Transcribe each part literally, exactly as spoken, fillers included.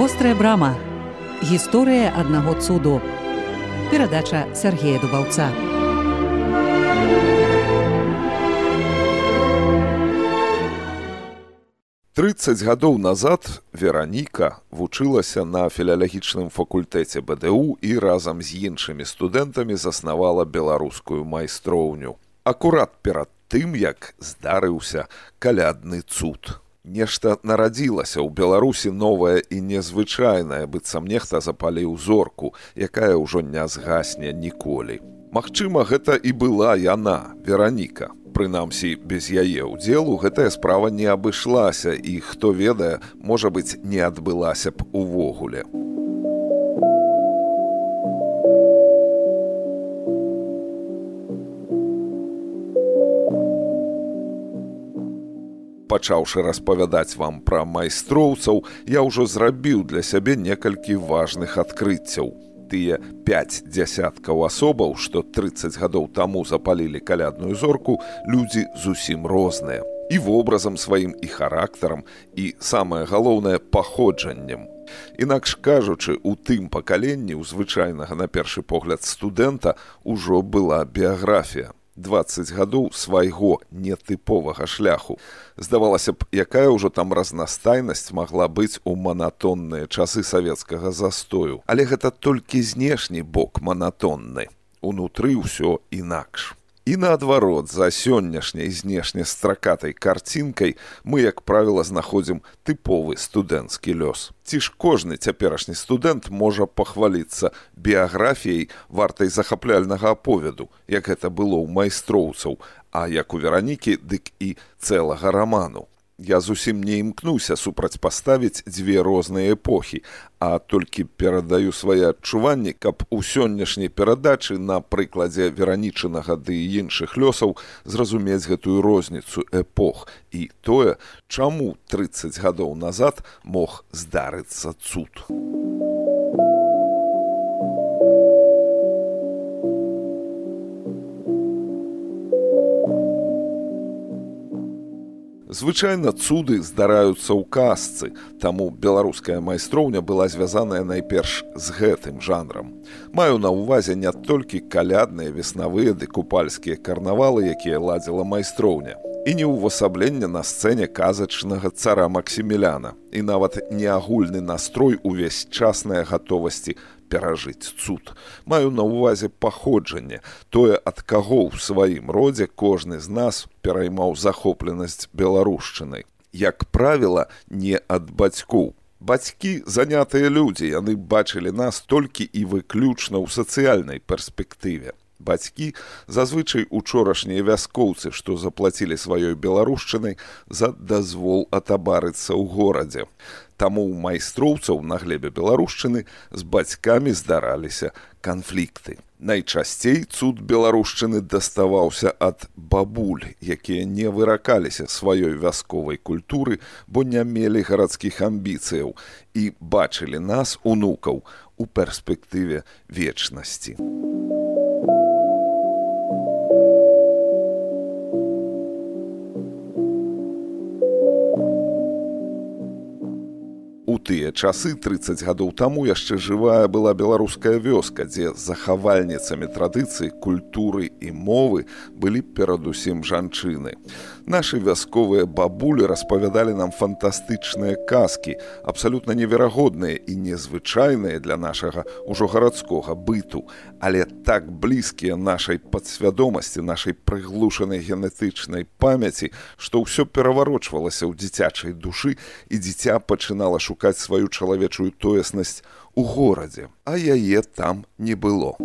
Вострая брама. Гісторыя аднаго цуду. Перадача Сергея Дубаўца. трыццаць гадоў назад Вераніка вучылася на філалагічным факультэце бэ дэ у і разам з іншымі студэнтамі заснавала беларускую майстроўню. Акурат перад тым, як здарыўся калядны цуд. Нешта нарадзілася ў Беларусі новае і незвычайнае, быццам нехта запаліў зорку, якая ўжо не згасне ніколі. Магчыма, гэта і была яна, Вераніка. Прынамсі, без яе ўдзелу гэтая справа не абышлася і, хто ведае, можа быць, не адбылася б увогуле. Пачаўшы распавядаць вам пра майстроўцаў, я ўжо зрабіў для сябе некалькі важных адкрыццяў. Тыя пяць дзясяткаў асобаў, што трыццаць гадоў таму запалілі калядную зорку, людзі зусім розныя. І вобразам сваім, і характарам, і, самае галоўнае, паходжаннем. Інакш кажучы, у тым пакаленні, у звычайнага на першы погляд студэнта, ужо была біяграфія. дваццаць гадоў свайго нетыповага шляху. Здавалася б, якая ўжо там разнастайнасць магла быць у манатонныя часы савецкага застою. Але гэта толькі знешні бок манатонны. Унутры ўсё інакш. І наадварот, за сённяшняй знешне стракатай карцінкай мы, як правіла, знаходзім тыповы студэнцкі лёс. Ці ж кожны цяперашні студэнт можа пахваліцца біяграфіяй вартай захапляльнага аповеду, як гэта было ў майстроўцаў, а як у Веранікі, дык і цэлага раману. Я зусім не імкнуся супрацьпаставіць дзве розныя эпохі, а толькі перадаю свае адчуванні, каб у сённяшняй перадачы на прыкладзе Веранічынага ды і іншых лёсаў зразумець гэтую розніцу эпох і тое, чаму трыццаць гадоў назад мог здарыцца цуд. Звычайна цуды здараюцца ў казцы, таму беларуская майстроўня была звязаная найперш з гэтым жанрам. Маю на ўвазе не толькі калядныя, веснавыя ды купальскія карнавалы, якія ладзіла майстроўня, і не ўвасабленне на сцэне казачнага цара Максіміляна, і нават не агульны настрой увесь часнай гатовасці перажыць цуд. Маю на ўвазе паходжанне, тое, ад каго ў сваім родзе кожны з нас пераймаў захопленасць беларушчынай. Як правіла, не ад бацькоў. Бацькі занятыя людзі, яны бачылі нас толькі і выключна ў сацыяльнай перспектыве. Бацькі зазвычай учорашнія вяскоўцы, што заплацілі сваёй беларушчынай за дазвол атабарыцца ў горадзе. Таму ў майстроўцаў на глебе беларушчыны з бацькамі здараліся канфлікты. Найчасцей цуд беларушчыны даставаўся ад бабуль, якія не выракаліся сваёй вясковай культуры, бо не мелі гарадскіх амбіцыяў і бачылі нас, унукаў, у перспектыве вечнасці. У тыя часы, трыццаць гадоў таму, яшчэ жывая была беларуская вёска, дзе захавальніцамі традыцый, культуры і мовы былі перадусім жанчыны. Нашы вясковыя бабулі распавядалі нам фантастычныя казкі, абсалютна неверагодныя і незвычайныя для нашага ўжо гарадскога быту, але так блізкія нашай падсвядомасці, нашай прыглушанай генетычнай памяці, што ўсё пераварочвалася ў дзіцячай душы, і дзіця пачынала шукаць сваю чалавечую тоеснасць у горадзе, а яе там не было.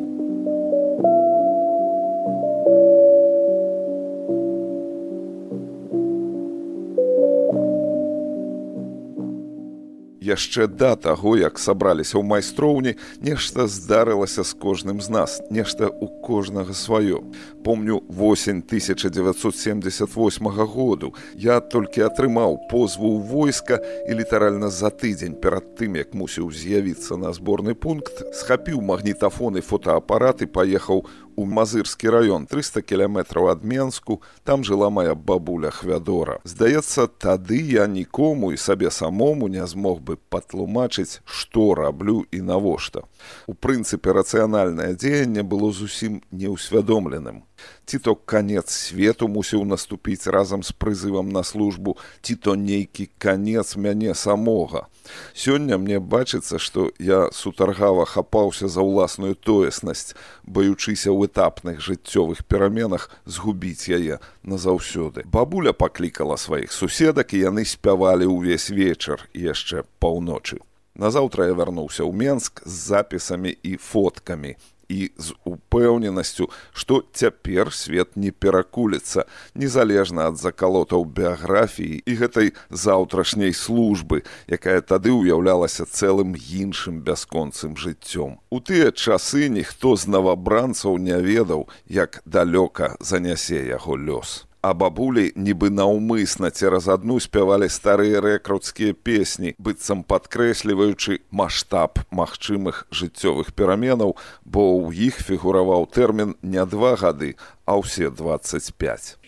Яшчэ да таго, як сабраліся ў майстроўні, нешта здарылася з кожным з нас, нешта ў кожнага сваё. Помню восень тысяча дзевяцьсот семдзесят восьмага году. Я толькі атрымаў позву ў войска і літаральна за тыдзень перад тым, як мусіў з'явіцца на зборны пункт, схапіў магнітафон і фотаапарат і паехаў у Мазырскі раён, трыста кіламетраў ад Менску, там жыла мая бабуля Хвядора. Здаецца, тады я нікому і сабе самому не змог бы патлумачыць, што раблю і навошта. У прынцыпе, рацыянальнае дзеянне было зусім неўсвядомленым. Ці то канец свету мусіў наступіць разам з прызывам на службу, ці то нейкі канец мяне самога. Сёння мне бачыцца, што я сутаргава хапаўся за ўласную тоеснасць, баючыся ў этапных жыццёвых пераменах згубіць яе назаўсёды. Бабуля паклікала сваіх суседак, і яны спявалі ўвесь вечар і яшчэ паўночы. Назаўтра я вярнуўся ў Менск з запісамі і фоткамі і з упэўненасцю, што цяпер свет не перакуліцца, незалежна ад закалотаў біяграфіі і гэтай заўтрашняй службы, якая тады ўяўлялася цэлым іншым бясконцым жыццём. У тыя часы ніхто з навабранцаў не ведаў, як далёка занясе яго лёс. А бабулі нібы наўмысна цераз адну спявалі старыя рэкруцкія песні, быццам падкрэсліваючы маштаб магчымых жыццёвых пераменаў, бо ў іх фігураваў тэрмін не два гады, а ўсе дваццаць пяць.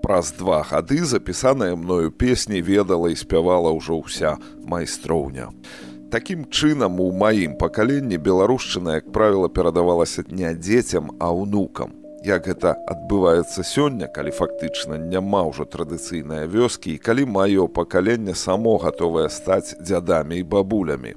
Праз два гады запісаныя мною песні ведала і спявала ўжо ўся майстроўня. Такім чынам, у маім пакаленні беларушчына, як правіла, перадавалася не дзецям, а ўнукам. Як гэта адбываецца сёння, калі фактычна няма ўжо традыцыйныя вёскі, і калі маё пакаленне само гатовае стаць дзядамі і бабулямі.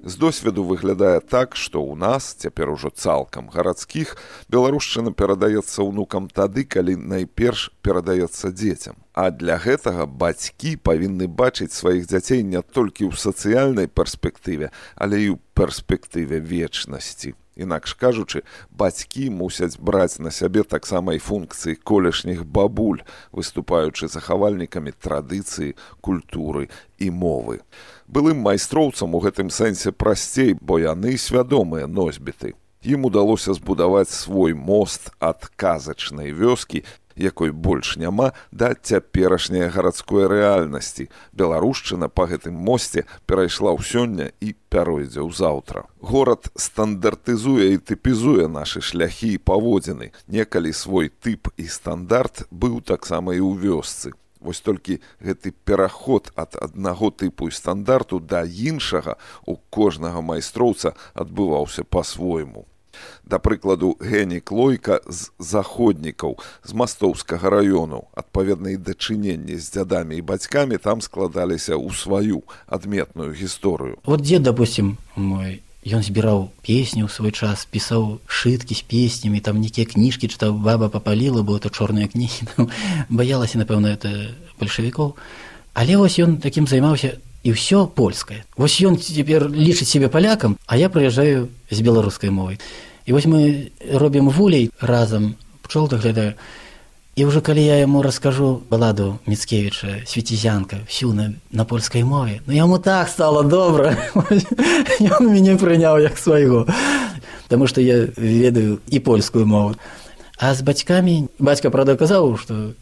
З досведу выглядае так, што ў нас, цяпер ужо цалкам гарадскіх, беларушчына перадаецца ўнукам тады, калі найперш перадаецца дзецям. А для гэтага бацькі павінны бачыць сваіх дзяцей не толькі ў сацыяльнай перспектыве, але і ў перспектыве вечнасці. Інакш кажучы, бацькі мусяць браць на сябе таксама і функцыі колішніх бабуль, выступаючы захавальнікамі традыцыі, культуры і мовы. Былым майстроўцам у гэтым сэнсе прасцей, бо яны свядомыя носьбіты. Ім удалося збудаваць свой мост ад казачнай вёскі, якой больш няма, да цяперашняй гарадской рэальнасці. Беларушчына па гэтым мосце перайшла ў сёння і пяройдзе ў заўтра. Горад стандартызуе і тыпізуе нашы шляхі і паводзіны. Некалі свой тып і стандарт быў таксама і ў вёсцы. Вось толькі гэты пераход ад аднаго тыпу і стандарту да іншага у кожнага майстроўца адбываўся па-свойму. Да прыкладу, Генік Лойка з заходнікаў, з Мастоўскага раёну, адпаведна і дачыненні з дзядамі і бацькамі там складаліся ў сваю адметную гісторыю. Вот дед, допустим, мой, ён збіраў песні ў свой час, пісаў шыткі з песнямі, там нейкія кніжкі чытаў, баба папаліла, бо это чорныя кнігі, баялася, напэўна, это бальшавікоў. Але вось ён такім займаўся, і ўсё польскае. Вось ён цяпер лічыць сябе палякам, а я прыязджаю з беларускай мовай. І вось мы робім вулей разам, пчол даглядаю. І ўжо калі я яму раскажу баладу Міцкевіча «Свіцізянка» всю на, на польскай мове, ну яму так стало добра. Ён мяне прыняў як свайго. Таму што я ведаю і польскую мову. А з бацькамі, бацька, правда, казаў, што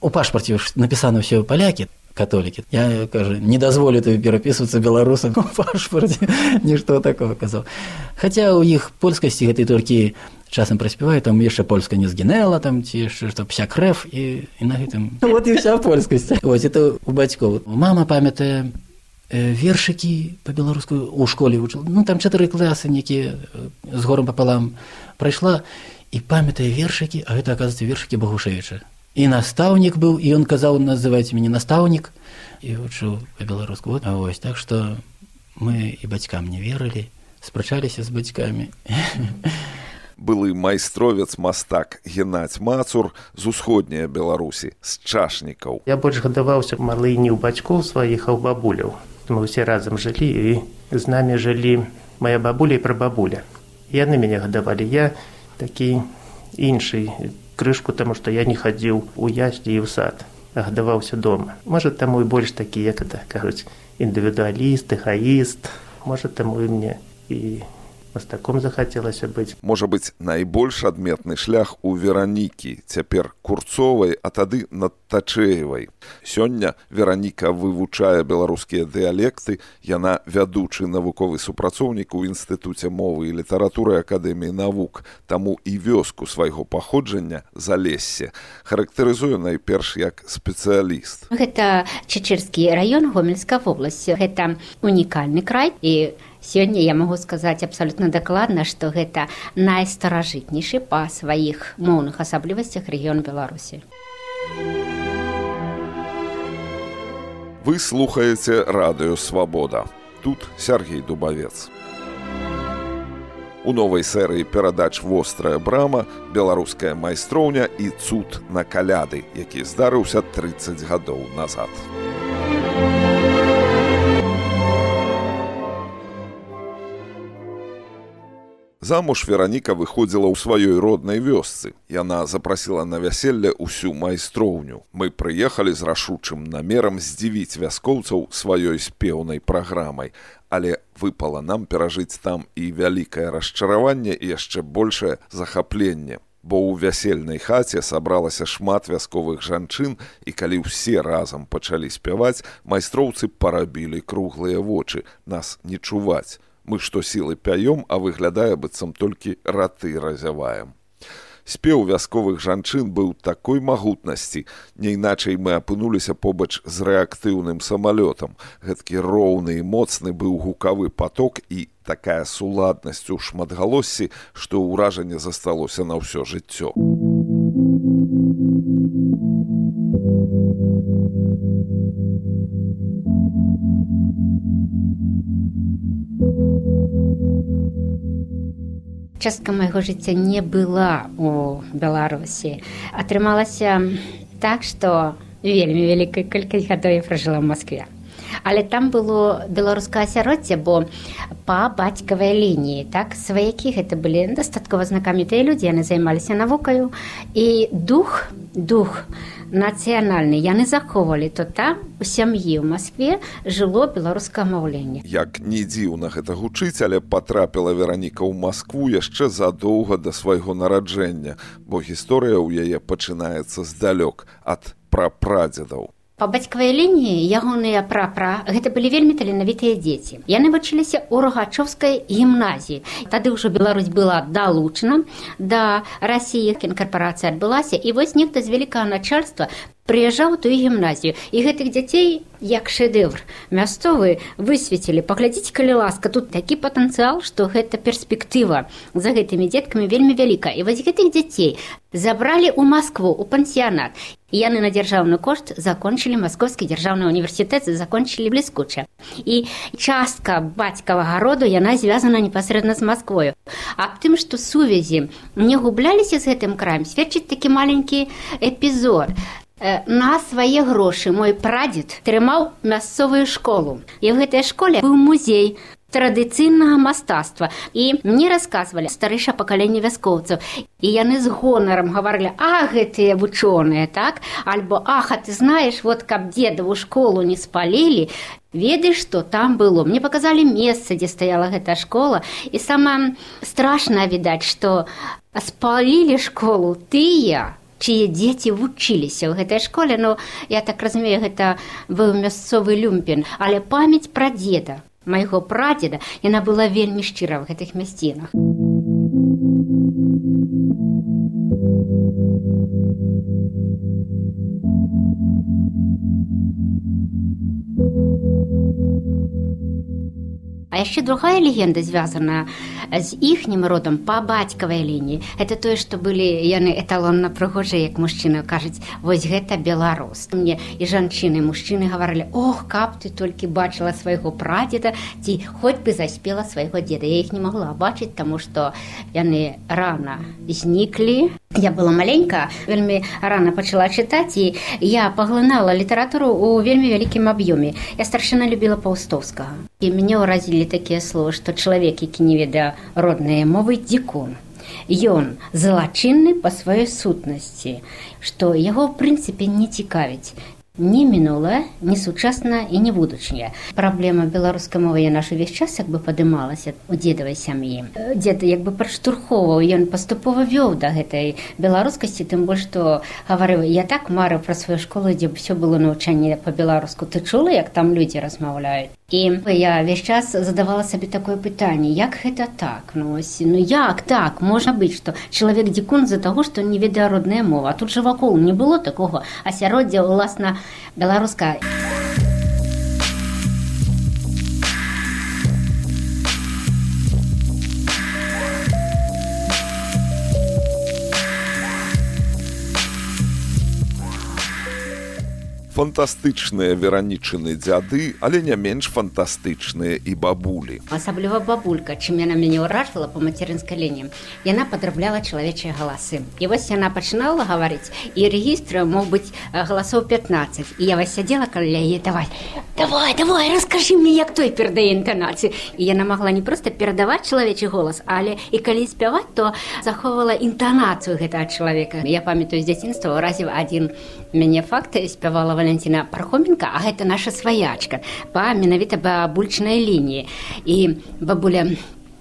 у пашпарце напісана ўсё палякі, католікі. Я, кажу, не дазволю табе перапісвацца беларусам у пашпарце. Нішто такого казаў. Хаця ў іх польскасці гэтай толькі часам праспяваю, там яшчэ польска не згінэла, там ці яшчэ што пся крэв, і, і на гэтым... Вот і вся польскасць. Вось, это у бацькоў. Мама памятае вершыкі па-беларуску у школе вучыла. Ну, там чатыры класы нейкія з горам папалам прайшла, і памятае вершыкі, а гэта, аказваецца, вершыкі Багушевіча. І настаўнік быў, і ён казаў, называйце мяне настаўнік, і вучыў па-беларуску. Вот, а вось, так што мы і бацькам не верылі, спрачаліся з бацькамі. Былы майстровец мастак Геннадзь Мацур з усходняй Беларусі, з Чашнікаў. Я больш гадаваўся малы не ў бацькоў сваіх, а ў бабуляў. Мы ўсе разам жылі, і з намі жылі моя бабуля і прабабуля. Яны мяне гадавалі. Я такі іншы крышку, таму што я не хадзіў у яслі і ў сад, а гадаваўся дома. Можа, таму і больш такі, як это кажуць, індывідуаліст, эгаіст. Можа, таму і мне і мастаком захацелася быць. Можа быць, найбольш адметны шлях у Веранікі, цяпер Курцовай, а тады Надтачэевай. Сёння Вераніка вывучае беларускія дыялекты, яна вядучы навуковы супрацоўнік у Інстытуце мовы і літаратуры Акадэміі навук, таму і вёску свайго паходжання, Залессе, характарызуе найперш як спецыяліст. Гэта Чечырскі раён, Гомельская вобласць. Гэта унікальны край, і сёння я магу сказаць абсалютна дакладна, што гэта найстаражытнейшы па сваіх моўных асаблівасцях рэгіён Беларусі. Вы слухаеце радыё «Свабода». Тут Сяргей Дубавец. У новай серыі перадач «Вострая брама», беларуская майстроўня і цуд на каляды, які здарыўся трыццаць гадоў назад. Замуж Вераніка выходзіла ў сваёй роднай вёсцы. Яна запрасіла на вяселле ўсю майстроўню. Мы прыехалі з рашучым намерам здзівіць вяскоўцаў сваёй спеўнай праграмай. Але выпала нам перажыць там і вялікае расчараванне і яшчэ большае захапленне. Бо ў вясельнай хаце сабралася шмат вясковых жанчын, і калі ўсе разам пачалі спяваць, майстроўцы парабілі круглыя вочы, нас не чуваць. Мы што сілы пяём, а выглядае, быццам толькі раты разяваем. Спеў вясковых жанчын быў такой магутнасці, не іначай мы апынуліся побач з рэактыўным самалётам. Гэткі роўны і моцны быў гукавы паток і такая суладнасць у шматгалоссі, што ўражанне засталося на ўсё жыццё. Частка майго жыцця не была у Беларусі. Атрымалася так, што вельмі вялікая колькасць гадоў я пражыла ў Маскве. Але там было беларускае асяроддзе, бо па бацькавай лініі, так, сваякі гэта былі дастаткова знакамітыя людзі, яны займаліся навукаю, і дух, дух нацыянальны яны захоўвалі, то там у сям'і ў Маскве жыло беларускае маўленне. Як не дзіўна гэта гучыць, але патрапіла Вераніка ў Маскву яшчэ задоўга да свайго нараджэння, бо гісторыя ў яе пачынаецца здалёк, ад прапрадзедаў. Па бацькавай лініі ягоныя прапра гэта былі вельмі таленавітыя дзеці. Яны вучыліся ў Рогачоўскай гімназіі. Тады ўжо Беларусь была далучана да Расіі, інкарпарацыя адбылася, і вось нехта з вялікага начальства прыязджаў у тую гімназію. І гэтых дзяцей, як шэдэвр мясцовы, высветілі. Паглядзіце, калі ласка, тут такі патэнцыял, што гэта перспектыва за гэтымі дзеткамі вельмі вялікая. І вось гэтых дзяцей забралі ў Маскву, у пансіянат. І яны на дзяржаўны кошт закончылі Маскоўскі дзяржаўны універсітэт, закончылі бліскуча. І частка бацькавага роду, яна звязана непасрэдна з Масквою. Аб тым, што сувязі не губляліся з гэтым краем, сведчыць такі маленькі эпізод. На свае грошы мой прадзед трымаў мясцовую школу. І ў гэтай школе быў музей традыцыйнага мастацтва. І мне расказвалі старэйшае пакаленне вяскоўцаў. І яны з гонарам гаварылі: а, гэтыя вучоныя, так? Альбо: ах, а ты знаеш, вот каб дзедаву школу не спалілі, ведаеш, што там было. Мне паказалі месца, дзе стаяла гэтая школа. І самае страшнае, відаць, што спалілі школу тыя, чые дзеці вучыліся ў гэтай школе. Ну, я так разумею, гэта быў мясцовы люмпен. Але памяць пра дзеда, майго прадзеда, яна была вельмі шчыра ў гэтых мясцінах. А яшчэ другая легенда звязана з іхнім родам па бацькавай лініі. Это тое, што былі яны эталонна прыгожыя, як мужчыны кажуць, вось гэта беларус. Мне і жанчыны, і мужчыны гаварылі: ох, каб ты толькі бачыла свайго прадзеда, ці хоць бы заспела свайго деда. Я іх не магла бачыць, таму што яны рана зніклі. Я была маленькая, вельмі рана пачала чытаць, і я паглынала літаратуру ў вельмі вялікім аб'ёме. Я старшына любіла Паўстоўскага. І мяне ўразілі такія словы, што чалавек, які не ведае роднай мовы, дзікун. Ён злачынны па сваёй сутнасці, што яго, ў прынцыпе, не цікавіць ні мінулае, ні сучаснае і ні будучае. Праблема беларускай мовы, яна ж увесь час як бы падымалася у дзедавай сям'і. Дзед як бы падштурхоўваў, ён паступова вёў да гэтай беларускасці, тым больш, што гаварыў: я так марыў пра сваю школу, дзе ўсё было навучанне па-беларуску. Ты чула, як там людзі размаўляюць? І я ўвесь час задавала сабе такое пытанне: як гэта так? Ну, ось, ну як так? Можа быць, што чалавек дзікун з-за таго, што не ведае родная мова. А тут жа вакол не было такога асяроддзя, уласна, беларуская. Фантастычныя веранічыны дзяды, але не менш фантастычныя і бабулі. Асабліва бабулька, чым яна мяне ўражала па мацярынскай лініі. Яна падрабляла чалавечыя галасы. І вось яна пачынала гаварыць, і рэгістр мог быць галасоў пятнаццаць. І я вось сядзела каля яе: давай, давай, давай, раскажы мне, як той перадае інтанацыю. І яна магла не проста перадаваць чалавечы голас, але і калі спяваць, то захоўвала інтанацыю гэтага чалавека. Я памятаю з дзяцінства, уразіў адзін мяне факт, спявала Валентина Пархоменко, а гэта наша сваячка па менавіта бабульчнай лініі. І бабуля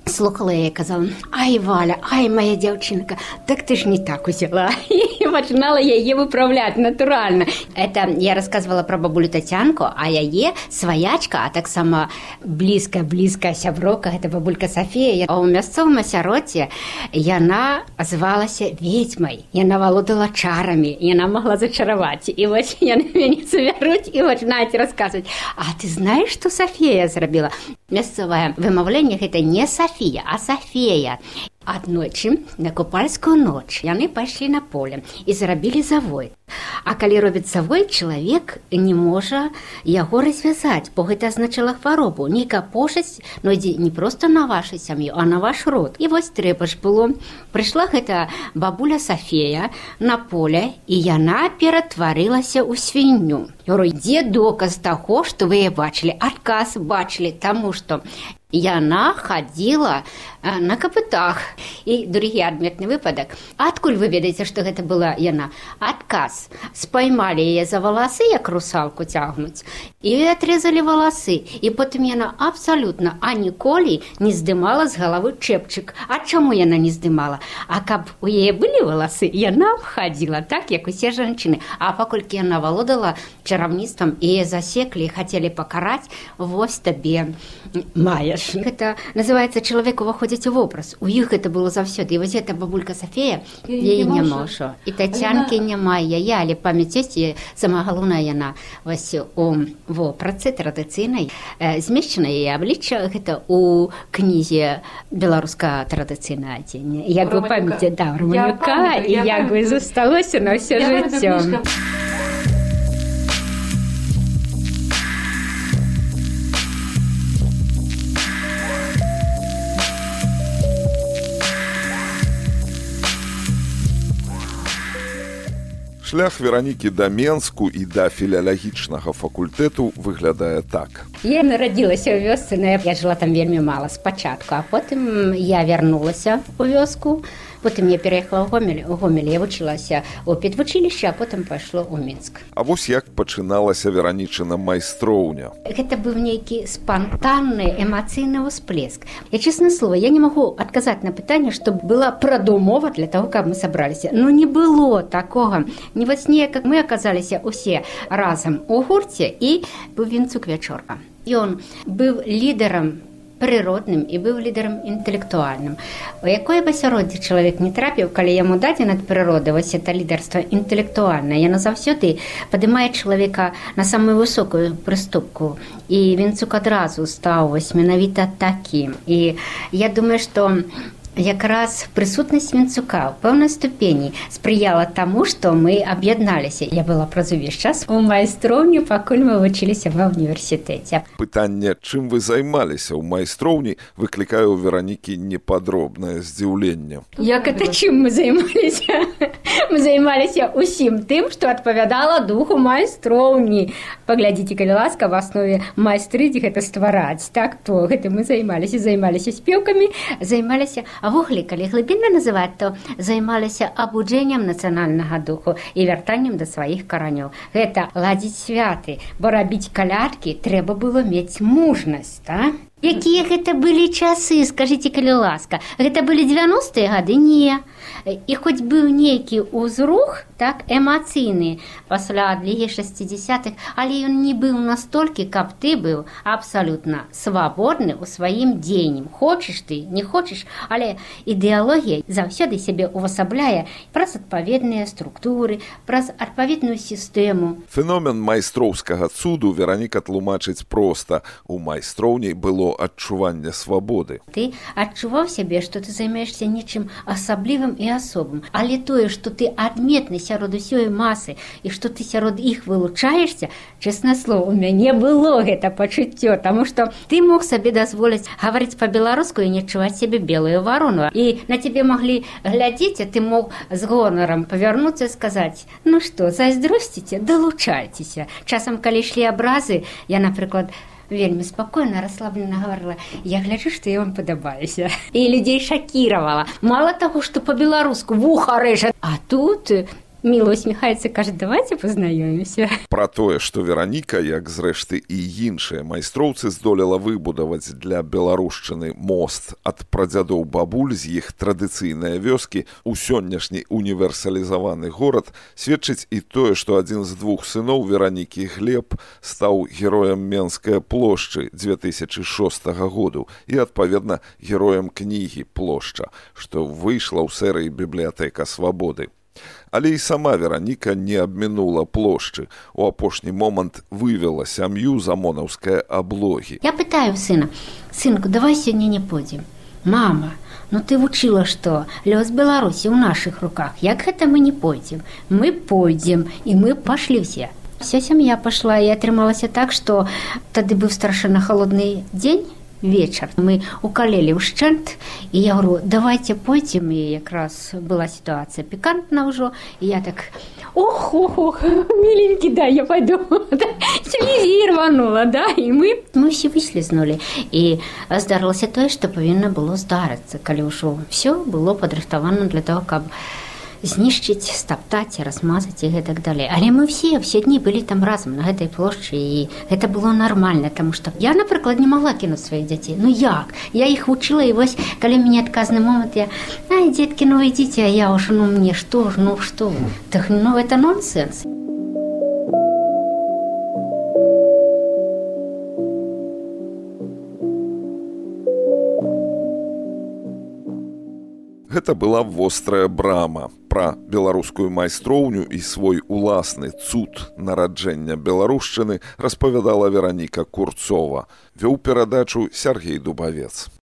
слухала яе і казала: ай, Валя, ай, моя дзяўчынка, так ты ж не так узяла. І пачынала яе выправляць натуральна. Это я рассказывала пра бабулю Тацянку, а яе сваячка, а таксама блізкая-блізкая сяброўка, гэта бабулька Сафія. А ў мясцовым асяроддзі яна звалася ведзьмай. Яна валодала чарамі, яна магла зачараваць. І вось яны мяне забяруць і пачынаюць расказваць: а ты знаеш, што Сафія зрабіла? Мясцовае вымаўленне гэта не Сафія, а Сафея. Аднойчы на купальскую ноч яны пайшлі на поле і зрабілі завой. А калі робіць завой, чалавек не можа яго развязаць, бо гэта азначала хваробу. Нейкая пошасць, ну ідзе не проста на вашу сям'ю, а на ваш род. І вось трэба ж было. Прыйшла гэта бабуля Сафея на поле, і яна ператварылася ў свінню. Я говорю: дзе доказ таго, што вы яе бачылі? Адказ бачылі, таму што яна хадзіла на капытах. І другі адметны выпадак. Адкуль вы ведаеце, што гэта была яна? Адказ. Спаймалі яе за валасы, як русалку цягнуць, і атрезалі валасы. І потым яна абсалютна аніколі не здымала з галавы чэпчык. А чаму яна не здымала? А каб у яе былі валасы, яна хадзіла так, як усе жанчыны. А паколькі яна валодала чараўніцтвам, і яе засеклі, хацелі пакараць, вось табе маеш. Гэта называецца чалавек уваходзіць у вобраз. У іх гэта было заўсёды. І вось гэта бабулька Сафея, яе няма ўжо. І Тацянкі няма яе, але памяць ёсць, і сама галоўная яна вось у вопратцы традыцыйнай. Змешчана яе аблічча гэта ў кнізе «Беларускае традыцыйнае адзенне». Як вы памяце, да, Романюка, і як вы засталося на ўсё жыццё. Шлях Веранікі да Менску і да філіялагічнага факультэту выглядае так. Я нарадзілася ў вёсцы, но я жыла там вельмі мала спачатку, а потым я вярнулася ў вёску. Потым я пераехала ў Гомель. У Гомелі я вучылася ў педвучылішчы, а потым пайшло ў Мінск. А вось як пачыналася Веранічына майстроўня? Гэта быў нейкі спантанны эмацыйны ўсплеск. Я, честное слово, я не магу адказаць на пытанне, што была прадумова для таго, каб мы сабраліся. Ну, не было такога. Не вось неяк, как мы аказаліся ўсе разам у гурце, і быў Вінцук Вячорка. Ён быў лідарам прыродным і быў лідарам інтэлектуальным. У якое б асяроддзе чалавек не трапіў, калі яму дадзена ад прыроды вось это лідарства інтэлектуальнае, яно заўсёды падымае чалавека на самую высокую прыступку. І Вінцук адразу стаў вось менавіта такім. І я думаю, што якраз прысутнасць Вінцука ў пэўнай ступені спрыяла таму, што мы аб'ядналіся. Я была праз увесь час у майстроўні, пакуль мы вучыліся ва ўніверсітэце. Пытанне, чым вы займаліся ў майстроўні, выклікае ў Веранікі непадробнае здзіўленне. Як это чым мы займаліся? Мы займаліся ўсім тым, што адпавядала духу майстроўні. Паглядзіце, калі ласка, в аснове майстрыць гэта ствараць. Так, то гэта мы займаліся, займаліся спевкамі, займаліся. А ввогуле, калі глыбінна называць, то займаліся абуджэннем нацыянальнага духу і вяртаннем да сваіх каранёў. Гэта ладзіць святы, бо рабіць калядкі трэба было мець мужнасць, так? Якія гэта былі часы, скажыце, калі ласка. Гэта былі дзевяностыя гады? Не. І хоць быў нейкі ўзрух, так, эмацыйны пасля адлігі шэсцідзясятых, але ён не быў настолькі, каб ты быў абсалютна свабодны ў сваім дзеянні. Хочаш ты, не хочаш, але ідэалогія заўсёды сябе увасабляе праз адпаведныя структуры, праз адпаведную сістэму. Феномен майстроўскага цуду Вераніка тлумачыць проста. У майстроўні было адчуванне свабоды. Ты адчуваў сябе, што ты займаешся нечым асаблівым і асобым, але тое, што ты адметны сярод усёй масы і што ты сярод іх вылучаешся, честное слово, у мяне было гэта пачуццё, таму што ты мог сабе дазволіць гаварыць па-беларуску і не адчуваць сябе белую варону. І на цябе маглі глядзець, а ты мог з гонарам павярнуцца і сказаць: ну што, зайздросціце, далучайцеся. Часам, калі ішлі абразы, я, напрыклад, вельмі спакойна, расслаблена гаварыла: я гляджу, што я вам падабаюся. І людзей шакіравала. Мала таго, што па-беларуску вуха рэжа, а тут міло усміхаецца, кажа: давайте пазнаёмімся. Пра тое, што Вераніка, як зрэшты і іншыя майстроўцы, здолела выбудаваць для беларушчыны мост ад прадзядоў бабуль з іх традыцыйныя вёскі у сённяшні універсалізаваны горад, сведчыць і тое, што адзін з двух сыноў Веранікі, Глеб, стаў героем Менскай плошчы дзве тысячы шостага году і, адпаведна, героем кнігі «Плошча», што выйшла ў серыі «Бібліятэка свабоды». Але і сама Вераніка не абмінула плошчы. У апошні момант вывела сям'ю з амонаўскай аблогі. Я пытаю сына: сынку, давай сёння не пойдзем. Мама, ну ты вучыла, што лёс Беларусі ў нашых руках. Як гэта мы не пойдзем? Мы пойдзем, і мы пашлі ўсе. Вся сям'я пашла, і атрымалася так, што тады быў страшэнна халодны дзень, вечар. Мы укалелі ўшчэнт, і я говорю: давайте пойдзем. І якраз была сітуацыя пікантна ўжо, і я так: ох, ох, ох, миленький, да, я пойду. Слезі рванула, да, і мы, мы ўсе выслізнулі. І здарылася тое, што павінна было здарыцца, калі ўжо все было падрыхтавана для того, каб знішчыць, стаптаць, размазаць і гэтак далей. Але мы все, все дні былі там разам на гэтай плошчы, і гэта было нармальна, таму што я, напрыклад, не магла кінуць сваіх дзяцей. Ну як? Я іх вучыла, і вось, калі мяне адказны момант, я: ай, дзеткі, ну ідзіце, а я ўжо, ну мне што ж, ну што? Так, ну это нонсенс. Гэта была вострая брама. Пра беларускую майстроўню і свой уласны цуд нараджэння беларушчыны распавядала Вераніка Курцова. Вёў перадачу Сяргей Дубавец.